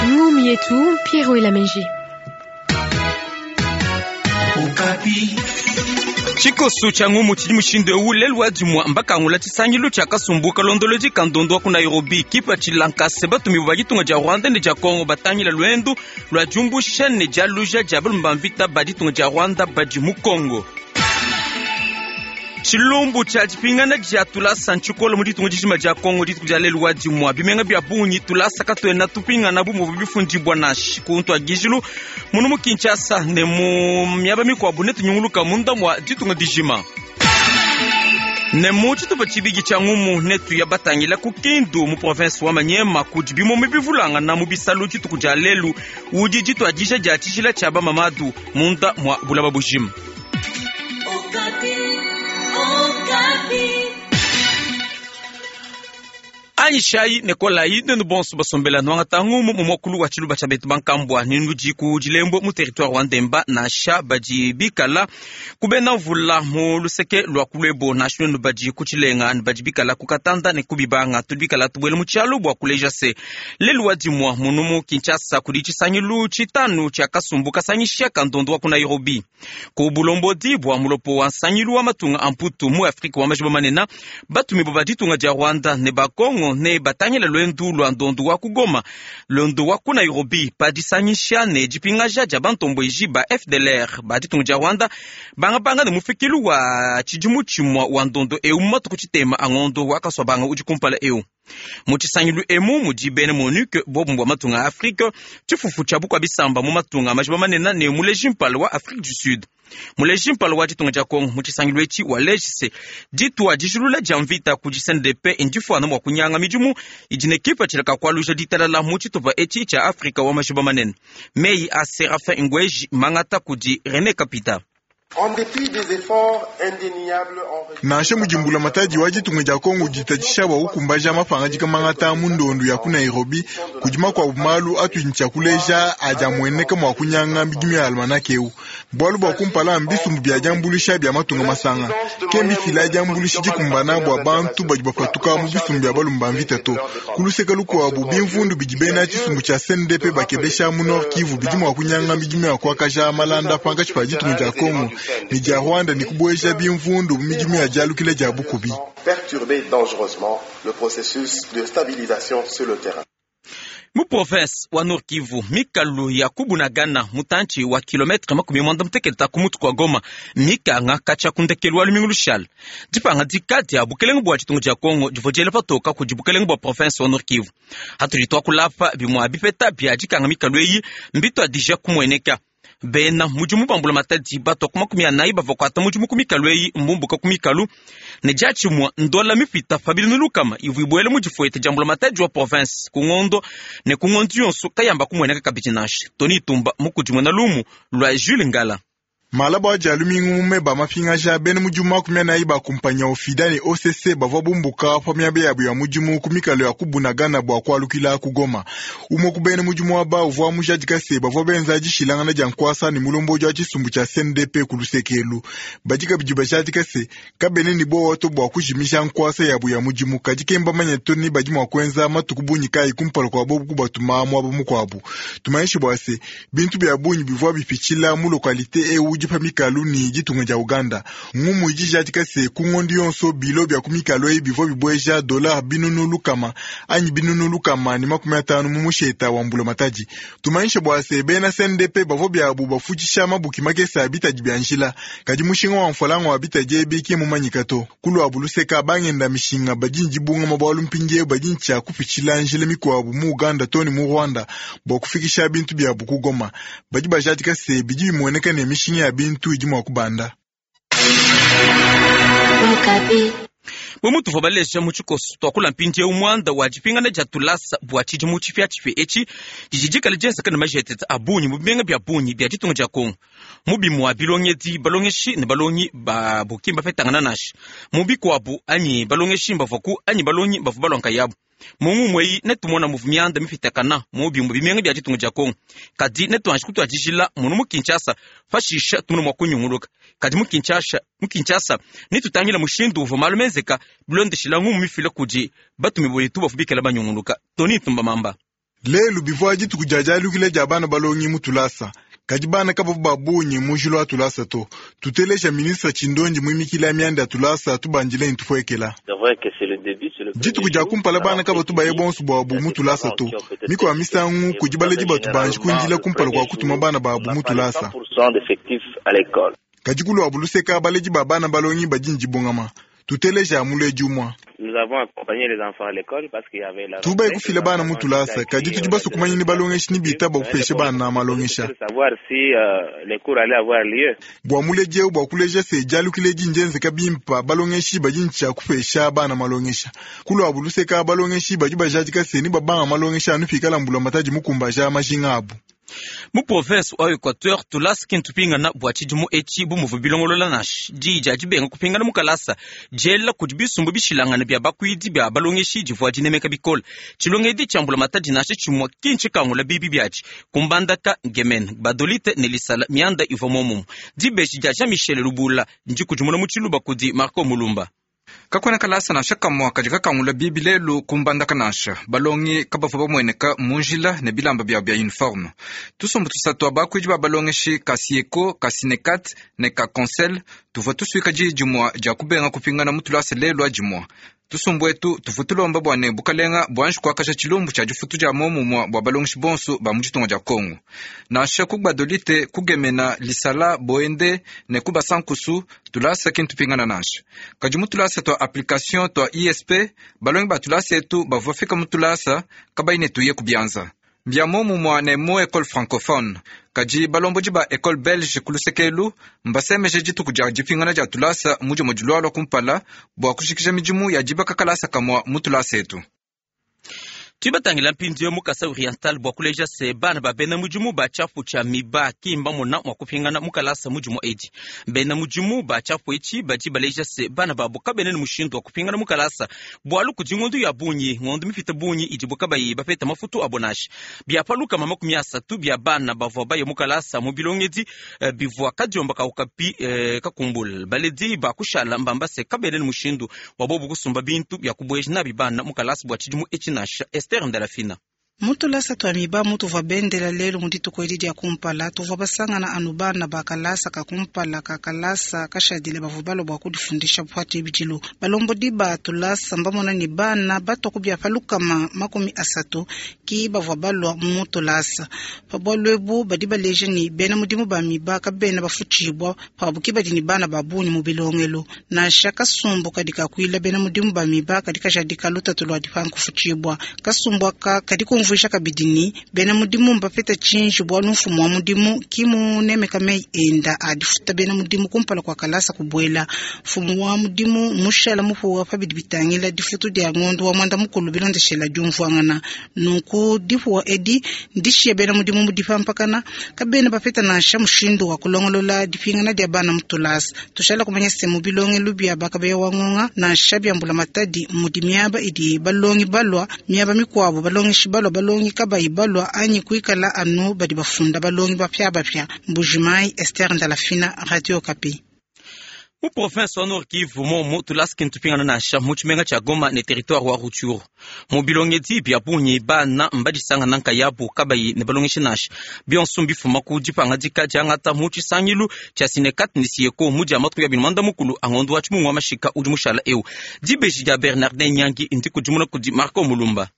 Ngumu yetu Pierrot Elameji. Tshikosu tshia ngumu tshidi mushindu eu lelu wa dimua mbakangula tshisangilu tshia kasumbu kalondolodi ka ndondo wa ku Nairobi kipatshila nkase batumibue ba ditunga dia Rwanda ne dia Congo batangila luendu lua diumbusha ne dialuja dia balume ba mvita ba ditunga dia Rwanda badi mu Congo. Tshilumbu tshia dipingana dia tulasa ntshikole mu ditunga dijima dia Congo dituku dia lelu wa dimua. Bimenga bia bungi tulasa katuena tupingana bu muvua bifundibua nansha ku ntuadijilu munu mu Kinshasa ne mu miaba mikuabu ne tunyunguluka munda mua ditunga dijima. Ne mu tshitupa tshibidi tshia ngumu netuya batangila ku Kindu mu province wa Maniema kudi bimuma bivulangana mu bisalu dituku dia lelu udi dituadija dia tshijila tshia bamamadu munda mua bulaba bujima. Anyishayi ne kolayi nuenu bonso basombela nuangata ngumu mu muakulu wa tshiluba tshia betu bankambua ne nudi ku Dilembwe mu territoire wa Ndemba nansha badi bikala ku bena mvula mu luseke lua ku Luebo nansha nuenu badi ku Tshilenga ne badi bikala ku Katanda ne ku Bibanga tudi bikala tubuela mu tshialu bua kuleja se lelu wa dimua munu mu Kinshasa kudi tshisangilu tshitanu tshia kasumbu kasangisha ka ndondo wa ku Nairobi. Ku bulombodi bua mulopo wa nsangilu wa matunga a Mputu mu Afrika wa majiba manene, batumibue ba ditunga dia Rwanda ne ba Congo ne batangila luendu lua ndondu wa ku Goma, luendu wa ku Nairobi pa disangisha ne dipingaja dia bantombueji ba FDLR ba ditunga dia Rwanda bangabanga ne mufikilu wa tshidimu tshimua wa ndondo eu mu matuku tshitema a ngondo wa Kasuabanga udi kumpala eu. Mu tshisangilu emu mudi bena MONUC, buobumue bua matunga a Afrike, tshifufu tshia bukua bisamba mu matunga a majiba manene ne muleji mpala wa Afrique du Sud. Muleji mpala wa ditunga dia Congo mu tshisangilu etshi waleji se, ditua dijulula dia mvita kudi CNDP ndifuana mua kunyanga midimu idi ne kipatshila ka kualuja ditalala mu tshitupa etshi tshia Afrika wa majiba manene. Meyi a Seraphin Ngweji mangata kudi Rene Kapita. Nansha mudi mbulamatadi wa ditunga dia Congo uditatshisha bua kukumbaja mapangadika mangata mu ndondu ya ku Nairobi, kudi makuabu malu atudi ne tshia kuleja adi amueneka mua kunyanga midimu ya almanake eu. Bualu bua kumpala, mbisumbu bia diambuluisha bia matunga masanga ke mbifila diambuluisha dikumbana bua bantu badi bapatuka mu bisumbu bia balume ba mvita to. Ku luseke lukuabu, bimvundu bidi bena tshisumbu tshia CNDP bakebesha mu Nord Kivu bidi mua kunyanga midimu ya kuakaja malanda pankatshi pa ditunga dia Congo ne dia Rwanda ne kubueja bimvundu mu midimu ya dialukila dia bukubi. Perturber dangereusement le processus de stabilisation sur le terrain. Mu province wa Nord Kivu, mikalu ya ku Bunagana mutantshi wa kilometre 60 ku mutu kua Goma mikanga katshia ku ndekelu wa lumingu lushala. Dipangadika dia bukelenge bua ditunga dia Congo divua diela patoka kudi bukelenge bua province wa Nord Kivu. Hatudi tuakula apa, bimua bipeta bia dikanga mikalu eyi mbituadija kumueneka. Bena mudimu ba mbulamatadi batua ku 40 bavua kuata mudimu ku mikalu eyi mbumbuka ku mikalu ne diatshimua ndola mipita pa 300 ivua ibuela mu difuete dia mbulamatadi wa province ku ngondo ne ku ngondo yonso kayamba kumueneka kabidi nansha. Tony Tumba mukudimuna lumu lua Jules Ngala. Malaba a Dia lumingu mu meba mapingaja, bena mudimu 40 ba kumpanyi ya Ofida ne OCC bavua bumbuka pa miaba yabu ya mudimu ku mikalu ya ku Bunagana bua kualukila ku Goma. Umue ku bena mudimu aba uvua mujadika se, bavua benza dishilangana dia nkuasa ne mulombodi wa tshisumbu tshia CNDP ku luseke elu. Badi kabidi bajadika se, kabena ne buowa to bua kujimija nkuasa yabu ya mudimu, kadi ke mbamanye to ne badi mua kuenza matuku bungi kayi kumpala kua bobu kubatuma muaba mukuabu. Tumanyishe bua se, bintu bia bungi bivua bipitshila mu lokalite eu udi pa mikalu ne ditunga dia Uganda. Ngumu idi ijadika se, ku ngondo yonso bilo bia ku mikalu eyi bivua bibueja dolare 600 anyi 150 mu musheta wa mbulamatadi. Tumanyishe bua se, bena CNDP bavua biabu bafutshisha mabuki makese a bitadi bia njila, kadi mushinga wa mfualanga wa bitadi ebi ki mumanyika to. Ku luabu luseka, bangenda mishinga badi ne dibungama bualu mpindieu badi ne tshia kupitshila njila mikuabu mu Uganda too ne mu Rwanda bua kufikisha bintu biabu ku Goma. Badi bajadika se, bidi bimueneka ne, mishinga ya bintu idi mua kubanda. Bu mutuvua baleja mu tshikoso, tuakula mpindieu muanda wa dipingana dia tulasa bua tshidimu tshipiatshipia etshi didi dikale dienzeka ne majetete a bungi mu bimenga bia bungi bia ditunga dia Congo. Mu bimua bilongedi, balongeshi ne balongi babu ki mbapetangana nansha. Mu bikuabu, anyi balongeshi mbavuaku anyi balongi bavua balua nkayabu. Mu ngumu eyi netumona muvua mianda mipitakana mu bimue bimenga bia ditunga dia Kongo. Kadi netuanji kutuadijila munu mu Kinshasa, pashisha tumone mua kunyunguluka. Kadi mu Kinshasa, mu Kinshasa netutangila mushindu uvua malu menzeka bilondeshila ngumu mifila kudi batumibue betu bavua bikala banyunguluka. Tony Ntumba Mamba. Lelu bivua dituku dia dialukila dia bana balongi mu tulasa, kadi bana kabavua ba bungi mu njila wa tulasa to. Tuteleja ministre Tshindondi muimikila mianda ya tulasa tubandile ne tupuekela. Dituku dia kumpala bana kabatu baye bonso buabu mu tulasa to. Mikuabu misangu kudi baledi batu banji kuindila kumpala kua kutuma bana babu mu tulasa. Kadi kuluabu luseka baledi ba bana balongi badi ne dibungama. Tuteleja muledi umue. Tubaye kufila bana mu tulasa, kadi tudi basue kumanya ni balongeshi ni bitaba kupesha bana malongesha. Bua muledi eu bua kuleja se dialukila edi ndienzeka bimpa, balongeshi badi ne tshia kupesha bana malongesha. Kuluabu luseka balongeshi badi bajadika se ni babanga malongesha anu pikala mbulamatadi mukumbaja majinga abu. Mu province wa Equateur tulasa ki ntupingana bua tshidimu etshi bu muvua bilongolola nansha diyi dia dibenga kupingana mu kalasa diela kudi bisumbu bishilangane bia bakuidi bia balongeshi divua dinemeka bikole. Tshilongedi tshia mbulamatadi nansha tshimue ki ntshikangula bibi biatshi ku Mbandaka, Gemena, Gbadolite ne Lisala mianda ivua muomumue. Dibeji dia Jean Michel Lubula ndikudimuna mu tshiluba kudi Marco Mulumba. Kakuena kalasa nansha kamue kadi kakangula bibi lelu ku Mbandaka nansha. Balongi kabavua bamueneka mu njila ne bilamba biabu bia uniforme. Tusumbu tusatu tua bakuidi ba balongeshi ka Sieko, ka Sinekat ne ka Consel tuvua tusuika diyi dimue dia kubenga kupingana mu tulasa lelu adimue. Tusumbu etu tuvua tulomba bua ne bukalenga buanji kuakaja tshilumbu tshia difutu dia muomumue bua balongeshi bonso ba mu ditunga dia Kongo. Nansha ku Gbadolite, ku Gemena, Lisala, Boende ne ku Basankusu, tulasa ki ntupingana nansha. Kadi mu tulasa tua application tua ISP, balongi ba tulasa etu bavua bafika mu tulasa kabayi ne tuye ku bianza. Mbia muomumue ne mu ecole francophone. Kadi balombodi ba ecole belge ku luseke elu mbasemeje dituku dia dipingana dia tulasa mu dimue dilualua kumpala bua kujikija midimu ya dibaka kalasa kamue mu tulasa etu. Tudi batangila mpindieu mu Kasai Oriental bua kuleja se bana ba bena mudimu ba tshiapu tshia miba ki mbamona mua kupingana mu kalasa mu dimue edi. Bena mudimu ba tshiapu etshi badi baleja se bana babu kabena ne mushindu wa kupingana mu kalasa bualu kudi ngondo ya bungi, ngondo mipite bungi idibu kabayi bapeta mafutu abo nansha. Bia pa 30 bia bana bavua baye mu kalasa mu bilongedi bivua kadiomba ka Okapi kakumbula. Baledi ba kushala mbamba se kabena ne mushindu wa bobu kusumba bintu bia kubueja nabi bana mu kalasa bua tshidimu etshi nansha. Esther Ndalafina. Mu tulasa tua miba mutuvua bendela lelu mu dituku edi dia kumpala, tuvua basangana anu bana ba kalasa ka kumpala ka kalasa kashadile bavua balua bua kudifundisha pa tshibidilu. Balombodi ba tulasa mbamona ne bana batua ku bia pa 30 ki bavua balua mu tulasa. Pa bualu ebu badi baleja ne bena mudimu ba miba kabena bafutshibua pabu ki badi ne bana ba bungi mu bilongelu. Nansha kasumbu kadi kakuila bena mudimu ba miba kadi kajadika lutatu lua dipanga kufutshibua. Kasumbu aka kadi kumvuija kabidi ne bena mudimu mbapeta tshinji bualu mfumu wa mudimu ki munemeka meyi enda a difuta bena mudimu kumpala kua kalasa kubuela. Mfumu wa mudimu mushala mupuwa pa bidi bitangila difutu dia ngondo wa mwanda mukulu bilondeshela diumvuangana. Nunku dipuwa edi ndishiye bena mudimu mu dipampakana, kabena bapeta nansha mushindu wa kulongolola dipingana dia bana mu tulasa. Tushala kumanya se mu bilongelu bia bakabeya wa ngonga nansha bia mbulamatadi mudi miaba idi balongi balua, miaba mikuabu balongeshi balua, balongi kabayi balua anyi kuikala anu badi bafunda balongi bapiabapia. Mbujimayi, Esther Ndalafina, Radio Okapi. Mu province wa Nord Kivu momu tulasa ki ntupingana nansha mu tshimenga tshia Goma ne territoire wa Rutshuru. Mu bilongedi bia bungi bana mbadisangana nkayabu kabayi ne balongeshi nansha. Bionso mbifuma ku dipangadika diangata mu tshisangilu tshia Sinekat ne Sieko mu dia matuku ya 30 a ngondo wa tshimungu wa mashika udi mushala eu. Dibeji dia Bernardin Nyangi ndikudimuna kudi Marco Mulumba.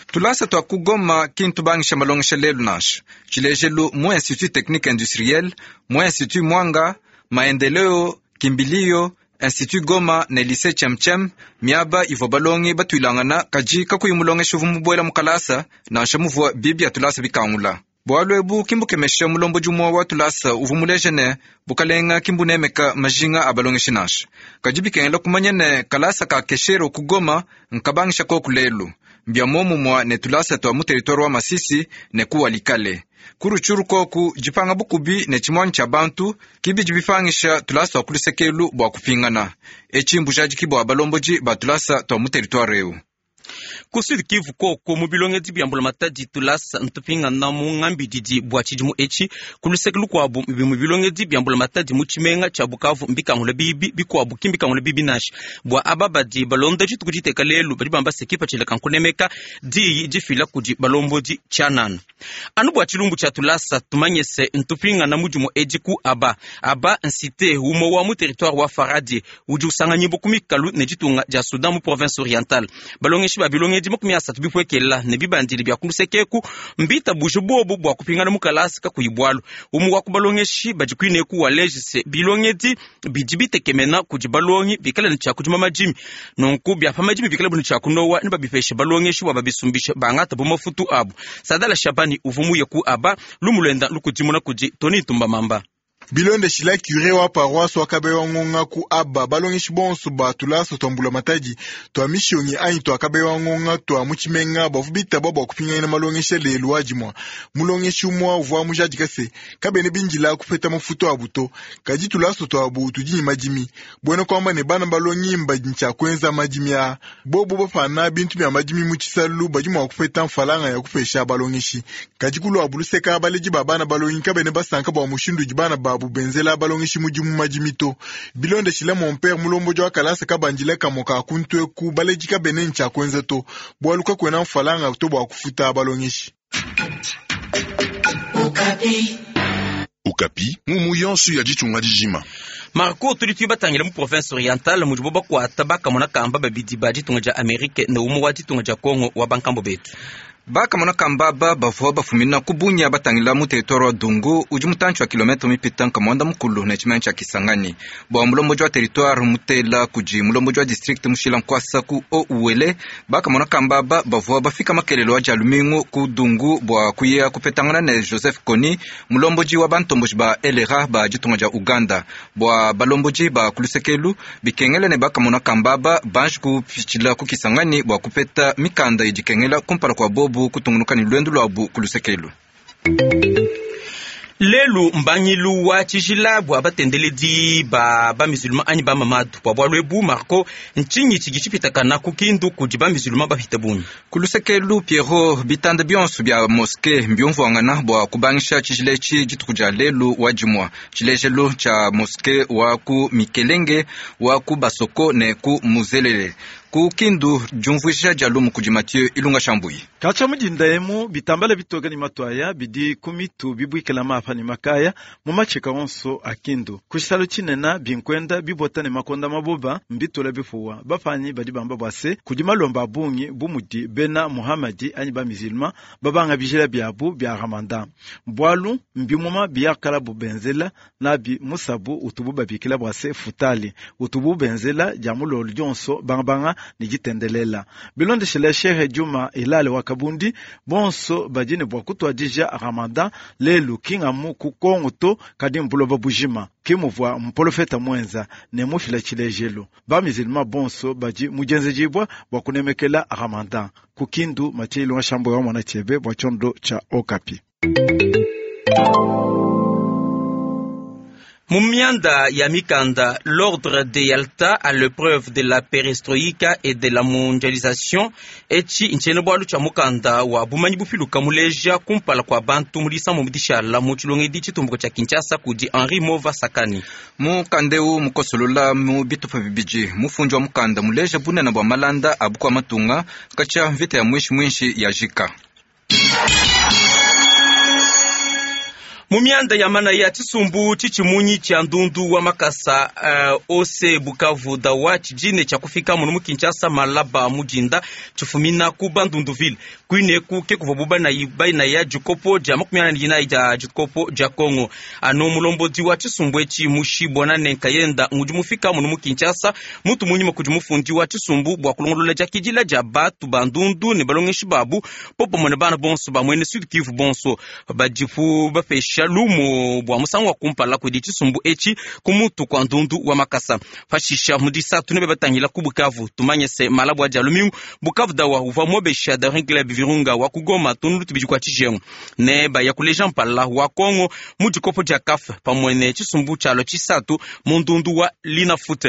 Tulasa tua ku Goma ki ntubangisha malongesha lelu nansha. Tshilejelu mu Institut Technique Industriel, mu Institut Mwanga, Maendeleo, Kimbilio, Institut Goma ne Lycée Chemchem, miaba ivua balongi batuilangana kadi kakuyi mulongeshi uvua mubuela mu kalasa nansha muvua bibi ya tulasa bikangula. Bualu ebu ki mbukemesha mulombodi umue wa tulasa uvua muleje ne bukalenga ki mbunemeka majinga a balongeshi nansha. Kadi bikengela kumanya ne kalasa ka Keshero ku Goma nkabangisha koku lelu. Mbia muomumue ne tulasa tua mu territoire wa Masisi ne ku Walikale. Ku Rutshuru koku dipanga bukubi ne tshimuanyi tshia bantu kibidi bipangisha tulasa tua ku lusekelu bua kupingana. Etshi mbujadiki bua balombodi ba tulasa tua mu territoire eu. Ku Sud Kivu koko mu bilongedi bia mbulamatadi tulasa ntupingana mu ngambididi bua tshidimu etshi. Ku luseke lukuabu bimue bilongedi bia mbulamatadi mu tshimenga tshia Bukavu mbikangula bibi, bikuabu ki mbikangula bibi nansha. Bua aba badi balonda dituku diteka lelu badi bamba se kipatshila ka nkunemeka diyi difila kudi balombodi tshianana. Anu bua tshilumbu tshia tulasa tumanye se ntupingana mu dimue edi ku aba aba nsite umue wa mu territoire wa Faradje udi usanganyibua ku mikalu ne ditunga dia Soudan mu province orientale. Balongeshi ba bilongedi 30 bipuekela ne bibandili bia ku luseke eku mbitabuje buobu bua kupingana mu kalasa kakuyi bualu. Umue wa ku balongeshi badi kuineku waleji se bilongedi bidi bitekemena kudi balongi bikale ne tshia kudima madimi, nunku bia pa madimi bikale ne tshia kunowa ne babipeshe balongeshi bua babisumbishe bangata bu mafutu abu. Sadala Shabani uvua muye ku aba lumu luenda lukudimuna kudi Tony Ntumba Mamba. Bilondeshila cure wa paroisse wa Kabeya Ngonga ku aba balongeshi bonso ba tulasa tua mbulamatadi tua mishionyi anyi tua Kabeya Ngonga tua mu tshimenga bavua bitaba bua kupinganyina malongesha lelu wa dimua. Mulongeshi umue uvua mujadika se kabena bindila kupeta mafutu abu to, kadi tulasa tuabu tudi ne madimi. Buena kuamba ne bana balongi mbadi ntshia kuenza madimi aa. Bobu bapana bintu bia madimi mu tshisalu badi mua kupeta mfalanga ya kupesha balongeshi. Kadi kuluabu luseka baledi ba bana balongi kabena basanka bua mushindu udi bana babu benzela balongeshi mudimu madimi to. Bilondeshile mon père mulombodi wa kalasa kabandile kamue ka kuntu eku baledi kabena ntshia kuenza to, bualu kakuena mfalanga to bua kufuta balongeshi. Okapi, ngumu yonso ya ditunga dijima. Marco tudi tuibatangila mu province orientale mudibo bakuata bakamona kamba babidi ba ditunga dia Amerike ne umue wa ditunga dia Congo wa bankambo betu. Bakamona kamba aba bavua bafumina ku Bunia batangila mu territoire wa Dungu udi mutantshi wa kilometre mipita nkamwanda mukulu ne tshimenga tshia Kisangani. Bua mulombodi wa territoire mutela kudi mulombodi wa district mushila nkuasa ku Haut-Uele, bakamona kamba aba bavua bafika makelelo wa dia lumingu ku Dungu bua kuya kupetangana ne Joseph Kony, mulombodi wa bantomboji ba LRA ba ditunga dia Uganda. Bua balombodi ba kulusekelu bikengela ne bakamona kamba aba banji kupitshila ku Kisangani bua kupeta mikanda idi ikengela kumpala kua bobu kutungunuka ne luendu luabu ku lusekelu. Lelu mbangilu wa tshijila bua batendeledi ba bamisulman anyi ba mamadu. Bua bualu ebu Marco, ntshinyi tshidi tshipitakana ku Kindu kudi bamisulman bapite bungi? Ku lusekelu Pierrot, bitanda bionso bia moske mbiumvuangana bua kubangisha tshijila etshi dituku dia lelu wa dimua. Tshilejelu tshia moske wa ku Mikelenge, wa ku Basoko ne ku Muzelele. Ku Kindu diumvuija dia lumu kudi Mathieu Ilunga Shambuyi. Katshia mudinda emu bitambala bitoke ne matuaya bidi ku mitu bibuikila mapa ne makaya mu matshika onso a Kindu. Ku tshisalu tshinene binkwenda bibota ne makonda maboba mbitula bipuwa. Bapanyi badi bamba bua se kudi malomba a bungi bu mudi bena Muhamadi anyi ba musulman babanga bijila biabu bia Ramadan. Bualu mbimuma biyakalabu benzela nabi musabu utubu babikila bua se futali utubu benzela dia mulolu dionso bangabanga ne ditendelela. Bilondeshile Sheikh Juma Hilal wa Kabundi bonso badi ne bua kutuadija Ramadan lelu kingamu ku Kongo to kadi mbuloba bujima ke muvua mprofeta mwenza ne mufila tshilejelu. Ba musulman bonso badi mujenzejibwa bua kunemekela Ramadan. Ku Kindu Mathieu Ilunga Shambo wa mwana chebe bua tshiondo tsha Okapi. Mu mianda ya mikanda, l'ordre de Yalta à l'épreuve de la perestroïka et de la mondialisation etshi ntshiena bualu tshia mukanda wa bumanyi bupiluka muleja kumpala kua bantu mu disambo dishala mu tshilongedi tshitumbuka tshia Kinshasa kudi Henri Mova Sakani. Mukanda eu mukosolola mu bitupa bibidi mufundi wa mukanda muleja bunene bua malanda a bukua matunga katshia mvita ya mwishi mwishi ya jika. Mu mianda ya manaya tshisumbu tshitshimunyi tshia ndundu wa makasa ose Bukavu dawa tshijine tshia kufika muno mu Kinshasa malaba mujinda tshifumina ku Bandunduville kuineku ke kuvua banayi bainaya dikopo dia 44 dia dikopo dia Kongo. Anu mulombodi wa tshisumbu etshi mushi Bonane Nkayenda ngudi mufika muno mu Kinshasa mutu munyima kudi mufundi wa tshisumbu bua kulongolola diakidila dia batu bandundu ne balongeshi babu popamue ne bana bonso ba mwene Sud Kivu bonso badipu bapesha bapesha lumu bua musangu wa kumpala kudi tshisumbu etshi ku mutu kua ndundu wa makasa. Pashisha mu disatu nebe batangila ku Bukavu. Tumanye se malabu a dia lumingu Bukavu dawa uvua mobesha Daring Club Virunga wa ku Goma tunulu tubidi kua tshijengu ne baya kuleja mpala wa Kongo mu dikopo dia CAF pamue ne tshisumbu tshialua tshisatu mu ndundu wa Linafoot.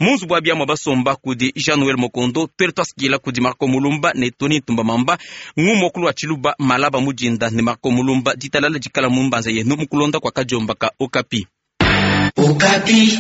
Mu nzubu wa biamua basomba kudi Jean Noel Mokondo, tuele tuasikila kudi Marco Mulumba ne Tony Ntumba Mamba ngumu wa tshiluba malaba mudinda ne Marco Mulumba ditalala dikala mu mbanza yenu mukulonda kwa kadiomba ka Okapi. Okapi.